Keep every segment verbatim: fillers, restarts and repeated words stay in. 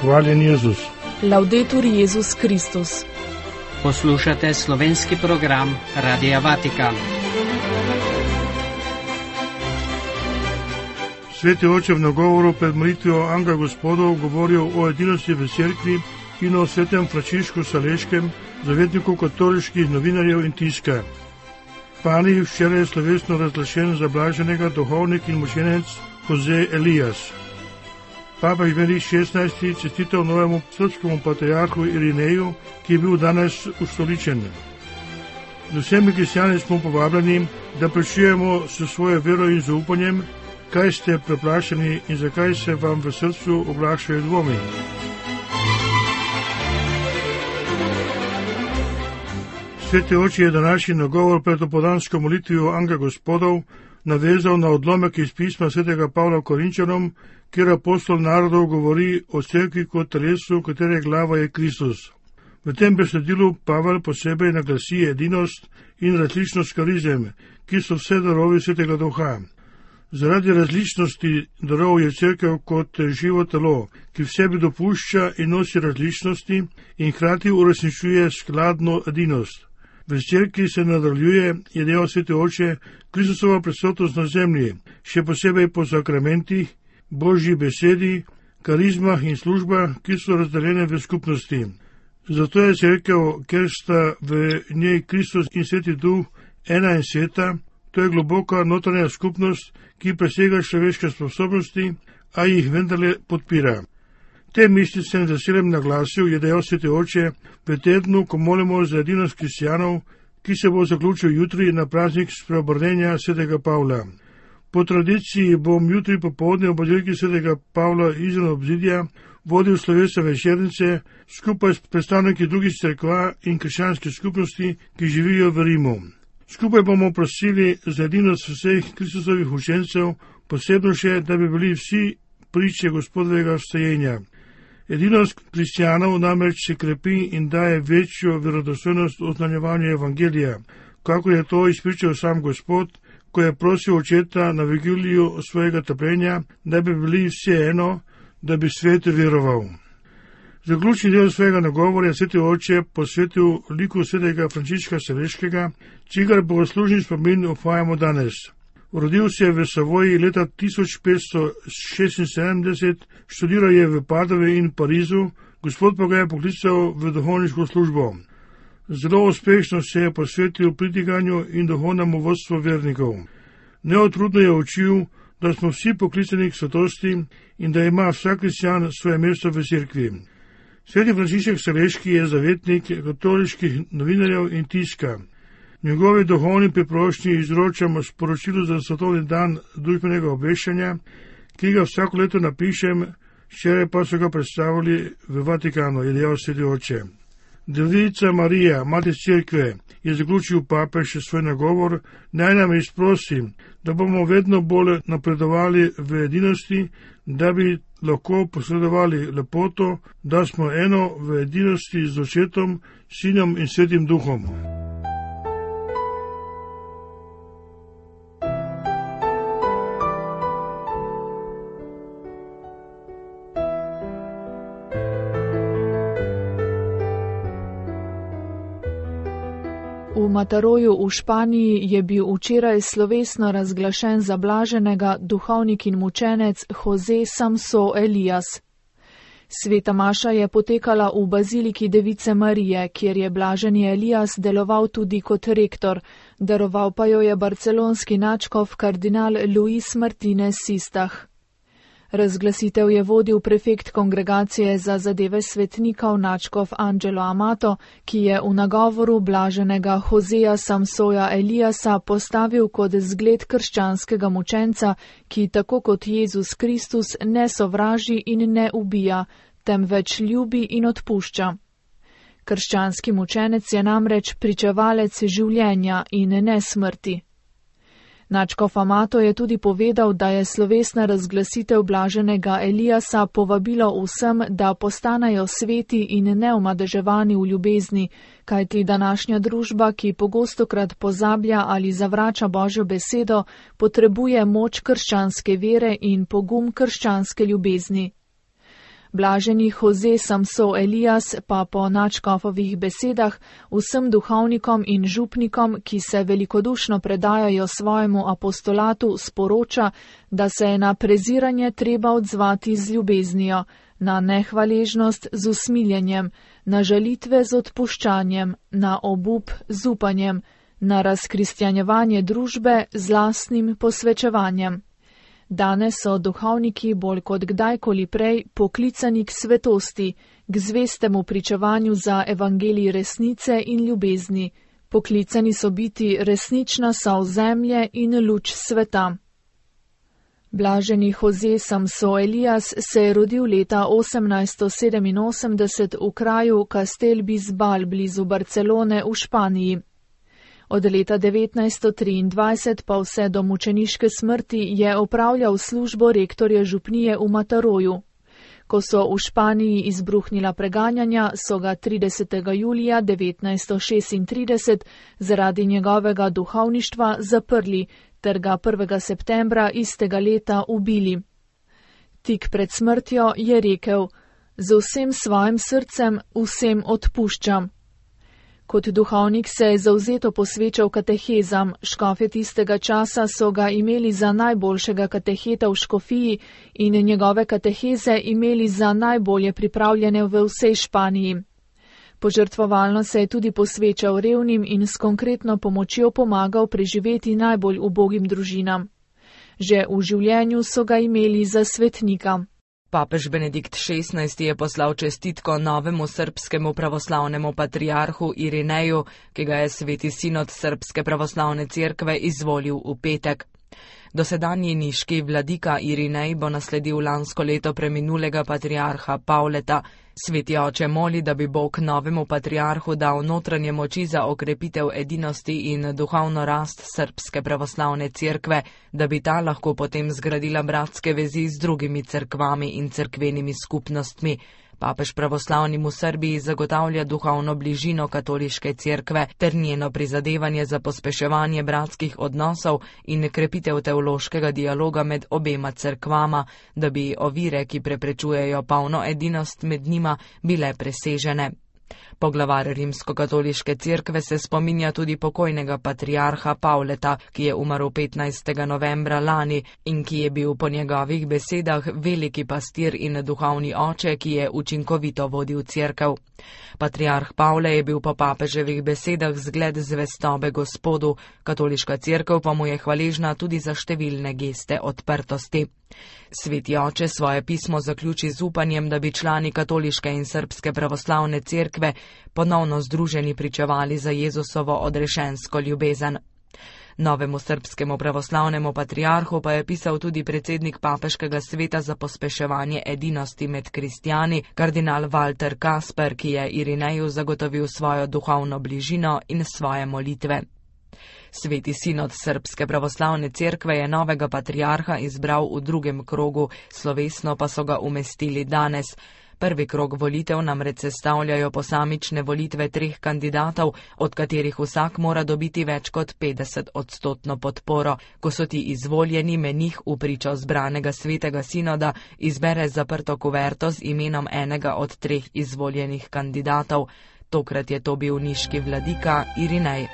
Hvaljen Jezus. Laudetur Jezus Kristus. Poslušate slovenski program Radia Vatikan. Sveti oče v nagovoru pred molitvijo Angela Gospodov govoril o edinosti v cerkvi in o svetem Frančišku Saleškem, zavetniku katoliških novinarjev in tiska. Pani, včeraj je slovesno razglašen za blaženega duhovnik in mučenec Jose Elias. Papež Benedikt šestnajsti čestital novemu srpskemu patriarhu Irineju, ki je bil danes ustoličen. Z vsemi kristjani smo povabljeni, da prečujemo s svojo vero in zaupanjem, kaj ste preplašeni in zakaj se vam v srcu oglašajo dvomi. Sveti oče je današnji nagovor pred opoldansko molitvijo Angela Gospodov navezal na odlomek iz pisma svetega Pavla Korinčanom, kjer apostol narodov govori o cerkvi kot telesu, katere glava je Kristus. V tem besedilu Pavel posebej naglasi edinost in različnost karizem, ki so vse darovi svetega duha. Zaradi različnosti darov je cerkev kot živo telo, ki v sebi dopušča in nosi različnosti in hkrati uresničuje skladno edinost. V cerkvi se nadaljuje, je dejal sveti oče, Kristusova prisotnost na zemlji, še posebej po sakramentih, Božji besedi, karizmah in službah, ki so razdeljene v skupnosti. Zato je cerkev, ker sta v njej Kristus in sveti duh ena in sveta, to je globoka notranja skupnost, ki presega človeške sposobnosti, a jih vendarle podpira. Te misli sem z veseljem naglasil, je dejal sveti oče, v tednu, ko molimo za edinost kristjanov, ki se bo zaključil jutri na praznik spreobrnenja svetega Pavla. Po tradiciji bom jutri popoldne v baziliki svetega Pavla izven obzidja vodil slovesa večernice skupaj s predstavniki drugih cerkva in krščanskih skupnosti, ki živijo v Rimu. Skupaj bomo prosili za edinost vseh Kristusovih učencev, posebno še, da bi bili vsi priče Gospodovega vstajenja. Edinost kristjanov namreč se krepi in daje večjo verodostojnost oznanjevanju evangelija, kako je to izpričal sam Gospod, ko je prosil očeta na vigiliju svojega trpljenja, da bi bili vse eno, da bi svet veroval. Zaključni del svojega nagovora je sveti oče posvetil liku svetega Frančiška Saleškega, čigar bogoslužni spomin obhajamo danes. Rodil se je v Savoji leta tisoč petsto šestinsedemdeset, študiral je v Padovi in Parizu, Gospod pa ga je poklical v duhovniško službo. Zelo uspešno se je posvetil pritiganju in duhovnemu vodstvu vernikov. Neotrudno je učil, da smo vsi poklicani k svetosti in da ima vsak kristjan svoje mesto v cerkvi. Sveti Frančišek Saleški je zavetnik katoliških novinarjev in tiska. Njegovi duhovni priprošnji izročamo sporočilo za svetovni dan družbenega obveščanja, ki ga vsako leto napišem, včeraj pa so ga predstavili v Vatikanu, je dejal sveti oče. Devica Marija, mati cerkve, je zaključil papež svoj nagovor, naj nam izprosi, da bomo vedno bolj napredovali v edinosti, da bi lahko posredovali lepoto, da smo eno v edinosti z očetom, sinom in svetim duhom. V Mataroju v Španiji je bil včeraj slovesno razglašen za blaženega duhovnik in mučenec Jose Samso Elias. Sveta maša je potekala v baziliki Device Marije, kjer je blaženi Elias deloval tudi kot rektor, daroval pa jo je barcelonski nadškof kardinal Luis Martinez Sistah. Razglasitev je vodil prefekt kongregacije za zadeve svetnikov nadškof Angelo Amato, ki je v nagovoru blaženega Joseja Samsoja Eliasa postavil kot zgled krščanskega mučenca, ki tako kot Jezus Kristus ne sovraži in ne ubija, temveč ljubi in odpušča. Krščanski mučenec je namreč pričevalec življenja in ne smrti. Nadškof Amato je tudi povedal, da je slovesna razglasitev blaženega Eliasa povabilo vsem, da postanejo sveti in neomadeževani v ljubezni, kajti današnja družba, ki pogostokrat pozablja ali zavrača Božjo besedo, potrebuje moč krščanske vere in pogum krščanske ljubezni. Blaženi Jose Samso Elias pa po nadškofovih besedah vsem duhovnikom in župnikom, ki se velikodušno predajajo svojemu apostolatu, sporoča, da se je na preziranje treba odzvati z ljubeznijo, na nehvaležnost z usmiljenjem, na žalitve z odpuščanjem, na obup z upanjem, na razkristjanjevanje družbe z lastnim posvečevanjem. Danes so duhovniki bolj kot kdajkoli prej poklicani k svetosti, k zvestemu pričevanju za evangelij resnice in ljubezni. Poklicani so biti resnična sol zemlje in luč sveta. Blaženi Jose Samso Elias se je rodil leta osemnajststo sedeminosemdeset v kraju Castel Bisbal blizu Barcelone v Španiji. Od leta devetnajststo triindvajset pa vse do mučeniške smrti je opravljal službo rektorja župnije v Mataroju. Ko so v Španiji izbruhnila preganjanja, so ga tridesetega julija devetnajststo šestintrideset zaradi njegovega duhovništva zaprli ter ga prvega septembra istega leta ubili. Tik pred smrtjo je rekel: "Z vsem svojim srcem vsem odpuščam." Kot duhovnik se je zavzeto posvečal katehezam, škofje tistega časa so ga imeli za najboljšega kateheta v škofiji in njegove kateheze imeli za najbolje pripravljene v vsej Španiji. Požrtvovalno se je tudi posvečal revnim in s konkretno pomočjo pomagal preživeti najbolj ubogim družinam. Že v življenju so ga imeli za svetnika. Papež Benedikt šestnajsti je poslal čestitko novemu srbskemu pravoslavnemu patriarhu Irineju, ki ga je Sveti sinod Srbske pravoslavne cerkve izvolil v petek. Dosedanji niški vladika Irinej bo nasledil lansko leto preminulega patriarha Pavleta. Sveti oče moli, da bi Bog novemu patriarhu dal notranje moči za okrepitev edinosti in duhovno rast Srbske pravoslavne cerkve, da bi ta lahko potem zgradila bratske vezi z drugimi cerkvami in cerkvenimi skupnostmi. Papež pravoslavnim v Srbiji zagotavlja duhovno bližino katoliške cerkve ter njeno prizadevanje za pospeševanje bratskih odnosov in krepitev teološkega dialoga med obema cerkvama, da bi ovire, ki preprečujejo polno edinost med njima, bile presežene. Poglavar rimskokatoliške cerkve se spominja tudi pokojnega patriarha Pavleta, ki je umrl petnajstega novembra lani in ki je bil po njegovih besedah veliki pastir in duhovni oče, ki je učinkovito vodil cerkev. Patriarh Pavle je bil po papeževih besedah zgled zvestobe Gospodu, katoliška cerkev pa mu je hvaležna tudi za številne geste odprtosti. Sveti oče svoje pismo zaključi z upanjem, da bi člani katoliške in srbske pravoslavne cerkve ponovno združeni pričevali za Jezusovo odrešensko ljubezen. Novemu srbskemu pravoslavnemu patriarhu pa je pisal tudi predsednik papeškega sveta za pospeševanje edinosti med kristjani, kardinal Walter Kasper, ki je Irineju zagotovil svojo duhovno bližino in svoje molitve. Sveti sinod Srbske pravoslavne cerkve je novega patriarha izbral v drugem krogu, slovesno pa so ga umestili danes. Prvi krog volitev namreč sestavljajo posamične volitve treh kandidatov, od katerih vsak mora dobiti več kot petdeset odstotno podporo. Ko so ti izvoljeni, menih v pričo zbranega svetega sinoda izbere zaprto kuverto z imenom enega od treh izvoljenih kandidatov. Tokrat je to bil niški vladika Irinej.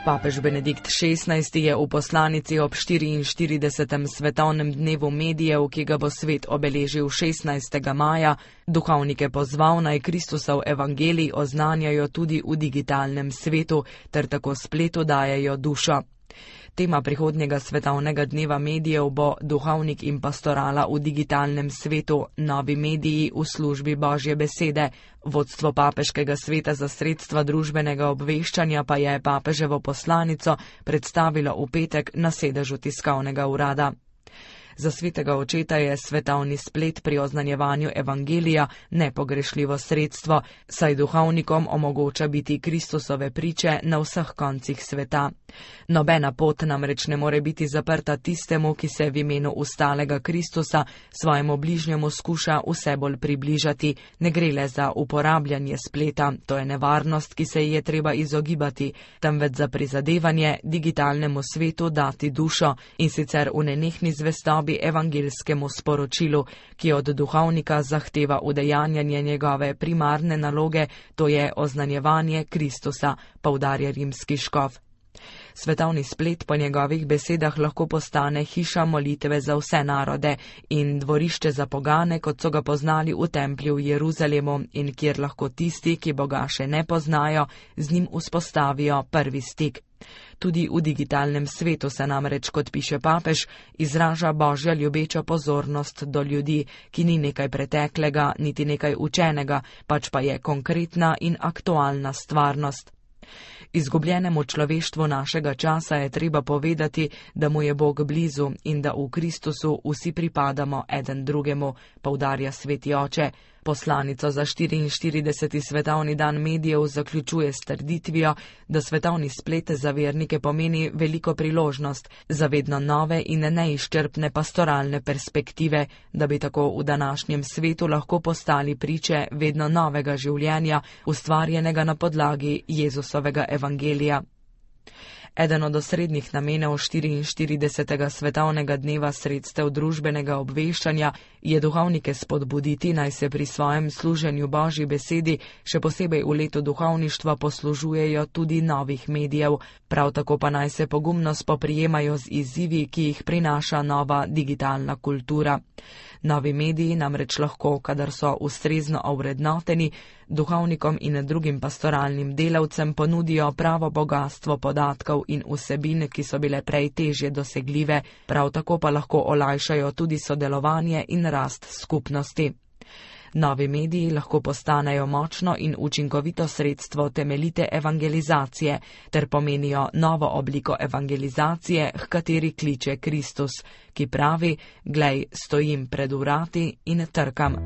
Papež Benedikt šestnajsti je v poslanici ob štiriinštiridesetem svetovnem dnevu medijev, ki ga bo svet obeležil šestnajstega maja, duhovnike pozval naj Kristusov evangelij oznanjajo tudi v digitalnem svetu ter tako spletu dajejo dušo. Tema prihodnjega svetovnega dneva medijev bo Duhovnik in pastorala v digitalnem svetu, novi mediji v službi Božje besede. Vodstvo papeškega sveta za sredstva družbenega obveščanja pa je papeževo poslanico predstavilo v petek na sedežu tiskovnega urada. Za svetega očeta je svetovni splet pri oznanjevanju evangelija nepogrešljivo sredstvo, saj duhovnikom omogoča biti Kristusove priče na vseh koncih sveta. Nobena pot namreč ne more biti zaprta tistemu, ki se v imenu ustalega Kristusa svojemu bližnjemu skuša vse bolj približati. Ne gre le za uporabljanje spleta, to je nevarnost, ki se ji je treba izogibati, temveč za prizadevanje digitalnemu svetu dati dušo, in sicer v nenehni zvestobi evangeljskemu sporočilu, ki od duhovnika zahteva udejanjanje njegove primarne naloge, to je oznanjevanje Kristusa, poudarja rimski škof. Svetovni splet po njegovih besedah lahko postane hiša molitve za vse narode in dvorišče za pogane, kot so ga poznali v templju v Jeruzalemu, in kjer lahko tisti, ki Boga še ne poznajo, z njim vzpostavijo prvi stik. Tudi v digitalnem svetu se namreč, kot piše papež, izraža božja ljubeča pozornost do ljudi, ki ni nekaj preteklega, niti nekaj učenega, pač pa je konkretna in aktualna stvarnost. Izgubljenemu človeštvu našega časa je treba povedati, da mu je Bog blizu in da v Kristusu vsi pripadamo eden drugemu, poudarja sveti oče. Poslanico za štiriinštirideseti svetovni dan medijev zaključuje s trditvijo, da svetovni splet za vernike pomeni veliko priložnost za vedno nove in neizčrpne pastoralne perspektive, da bi tako v današnjem svetu lahko postali priče vedno novega življenja, ustvarjenega na podlagi Jezusovega evangelija. Eden od osrednjih namenov štiriinštiridesetega svetovnega dneva sredstev družbenega obveščanja je duhovnike spodbuditi, naj se pri svojem služenju Božji besedi, še posebej v letu duhovništva, poslužujejo tudi novih medijev, prav tako pa naj se pogumno spoprijemajo z izzivi, ki jih prinaša nova digitalna kultura. Novi mediji namreč lahko, kadar so ustrezno ovrednoteni, duhovnikom in drugim pastoralnim delavcem ponudijo pravo bogastvo podatkov in vsebin, ki so bile prej težje dosegljive, prav tako pa lahko olajšajo tudi sodelovanje in rast skupnosti. Novi mediji lahko postanejo močno in učinkovito sredstvo temeljite evangelizacije ter pomenijo novo obliko evangelizacije, h kateri kliče Kristus, ki pravi: "Glej, stojim pred vrati in trkam."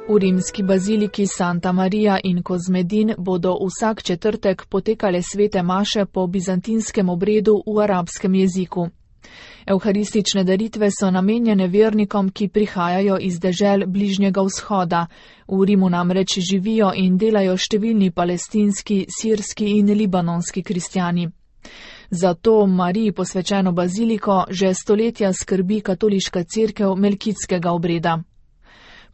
V rimski baziliki Santa Maria in Kozmedin bodo vsak četrtek potekale svete maše po bizantinskem obredu v arabskem jeziku. Evharistične daritve so namenjene vernikom, ki prihajajo iz dežel Bližnjega vzhoda. V Rimu namreč živijo in delajo številni palestinski, sirski in libanonski kristjani. Zato Mariji posvečeno baziliko že stoletja skrbi katoliška cerkev melkitskega obreda.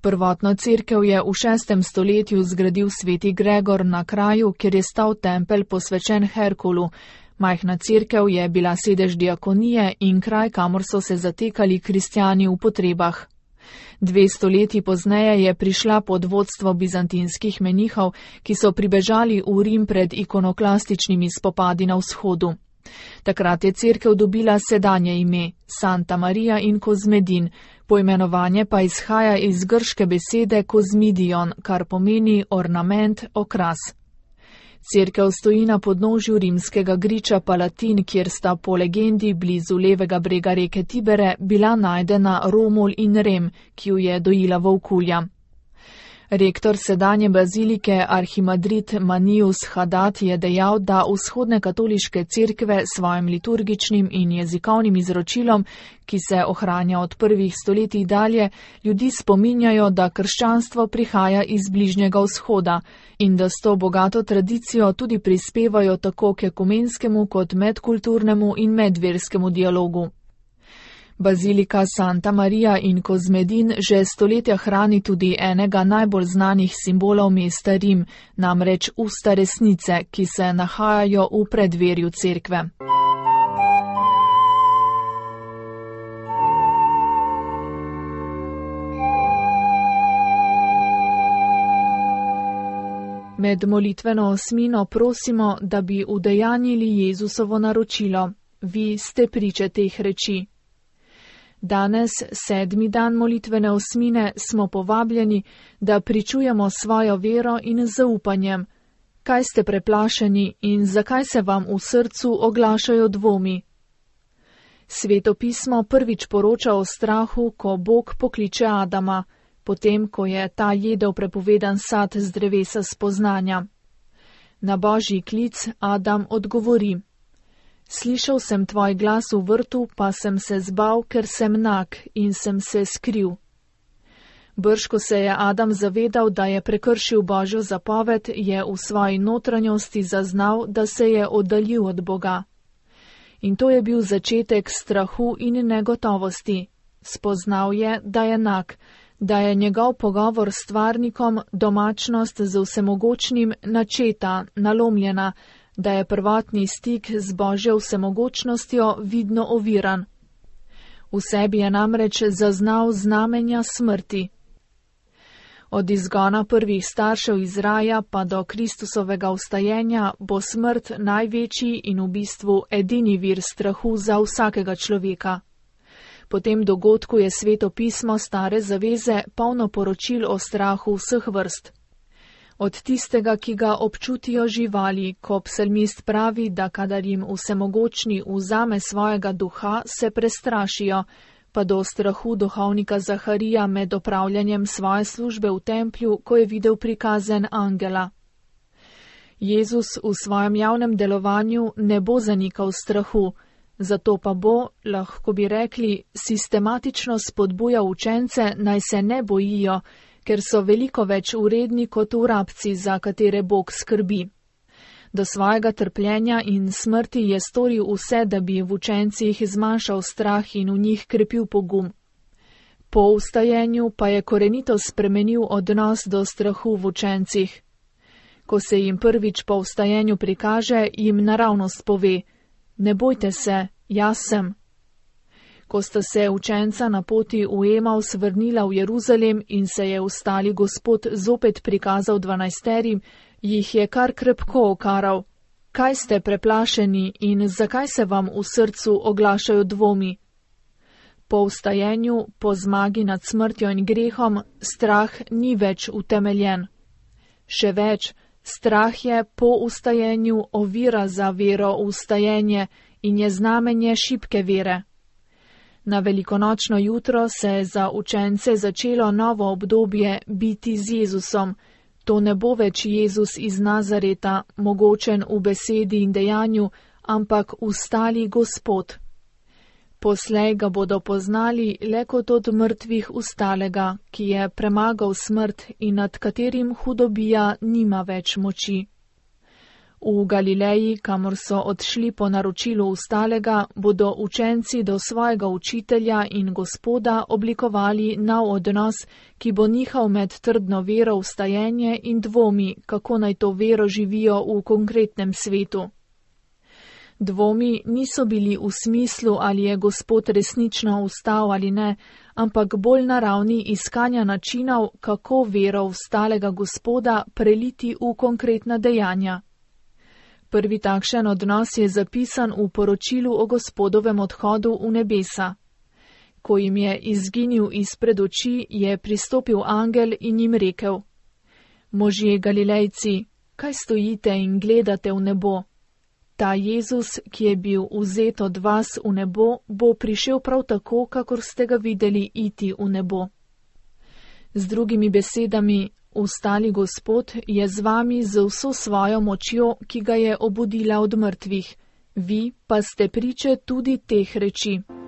Prvotno cerkev je v šestem stoletju zgradil sveti Gregor na kraju, kjer je stal tempelj posvečen Herkulu. Majhna cerkev je bila sedež diakonije in kraj, kamor so se zatekali kristjani v potrebah. Dve stoletji pozneje je prišla pod vodstvo bizantinskih menihov, ki so pribežali v Rim pred ikonoklastičnimi spopadi na vzhodu. Takrat je cerkev dobila sedanje ime Santa Maria in Kozmedin, poimenovanje pa izhaja iz grške besede kozmidion, kar pomeni ornament, okras. Cerkev stoji na podnožju rimskega griča Palatin, kjer sta po legendi blizu levega brega reke Tibere bila najdena Romul in Rem, ki ju je dojila volkulja. Rektor sedanje bazilike Arhimadrit Manius Haddad je dejal, da vzhodne katoliške cerkve s svojim liturgičnim in jezikovnim izročilom, ki se ohranja od prvih stoletij dalje, ljudi spominjajo, da krščanstvo prihaja iz Bližnjega vzhoda in da s to bogato tradicijo tudi prispevajo tako k ekumenskemu kot medkulturnemu in medverskemu dialogu. Bazilika Santa Maria in Kozmedin že stoletja hrani tudi enega najbolj znanih simbolov mesta Rim, namreč usta resnice, ki se nahajajo v predverju cerkve. Med molitveno osmino prosimo, da bi udejanjili Jezusovo naročilo. Vi ste priče teh reči. Danes, sedmi dan molitvene osmine, smo povabljeni, da pričujemo svojo vero in zaupanjem. Kaj ste preplašeni in zakaj se vam v srcu oglašajo dvomi? Sveto pismo prvič poroča o strahu, ko Bog pokliče Adama, potem, ko je ta jedel prepovedan sad z drevesa spoznanja. Na Božji klic Adam odgovori: Slišal sem tvoj glas v vrtu, pa sem se zbal, ker sem nag in sem se skril. Brško se je Adam zavedal, da je prekršil Božjo zapoved, je v svoji notranjosti zaznal, da se je oddaljil od Boga. In to je bil začetek strahu in negotovosti. Spoznal je, da je nag, da je njegov pogovor s stvarnikom, domačnost z vsemogočnim načeta, nalomljena, da je prvotni stik z Božjo vsemogočnostjo vidno oviran. V sebi je namreč zaznal znamenja smrti. Od izgona prvih staršev iz raja pa do Kristusovega vstajenja bo smrt največji in v bistvu edini vir strahu za vsakega človeka. Po tem dogodku je Sveto pismo Stare zaveze polno poročil o strahu vseh vrst. Od tistega, ki ga občutijo živali, ko psalmist pravi, da kadar jim vsemogočni vzame svojega duha, se prestrašijo, pa do strahu duhovnika Zaharija med opravljanjem svoje službe v templju, ko je videl prikazen angela. Jezus v svojem javnem delovanju ne bo zanikal strahu, zato pa bo, lahko bi rekli, sistematično spodbujal učence, naj se ne bojijo, ker so veliko več uredni kot vrabci, za katere Bog skrbi. Do svojega trpljenja in smrti je storil vse, da bi v učencih zmanjšal strah in v njih krepil pogum. Po vstajenju pa je korenito spremenil odnos do strahu v učencih. Ko se jim prvič po vstajenju prikaže, jim naravnost pove: Ne bojte se, jaz sem. Ko sta se učenca na poti v Emaus vrnila v Jeruzalem in se je vstali Gospod zopet prikazal dvanajsterim, jih je kar krepko okaral: Kaj ste preplašeni in zakaj se vam v srcu oglašajo dvomi? Po vstajenju, po zmagi nad smrtjo in grehom, strah ni več utemeljen. Še več, strah je po vstajenju ovira za vero v vstajenje in je znamenje šibke vere. Na velikonočno jutro se je za učence začelo novo obdobje biti z Jezusom. To ne bo več Jezus iz Nazareta, mogočen v besedi in dejanju, ampak vstali Gospod. Poslej ga bodo poznali le kot od mrtvih vstalega, ki je premagal smrt in nad katerim hudobija nima več moči. V Galileji, kamor so odšli po naročilu vstalega, bodo učenci do svojega učitelja in Gospoda oblikovali nov odnos, ki bo nihal med trdno vero v vstajenje in dvomi, kako naj to vero živijo v konkretnem svetu. Dvomi niso bili v smislu, ali je Gospod resnično vstal ali ne, ampak bolj na ravni iskanja načinov, kako vero vstalega Gospoda preliti v konkretna dejanja. Prvi takšen odnos je zapisan v poročilu o Gospodovem odhodu v nebesa. Ko jim je izginil izpred oči, je pristopil angel in jim rekel: Možje Galilejci, kaj stojite in gledate v nebo? Ta Jezus, ki je bil vzet od vas v nebo, bo prišel prav tako, kakor ste ga videli iti v nebo. Z drugimi besedami, vstali Gospod je z vami z vso svojo močjo, ki ga je obudila od mrtvih. Vi pa ste priče tudi teh reči.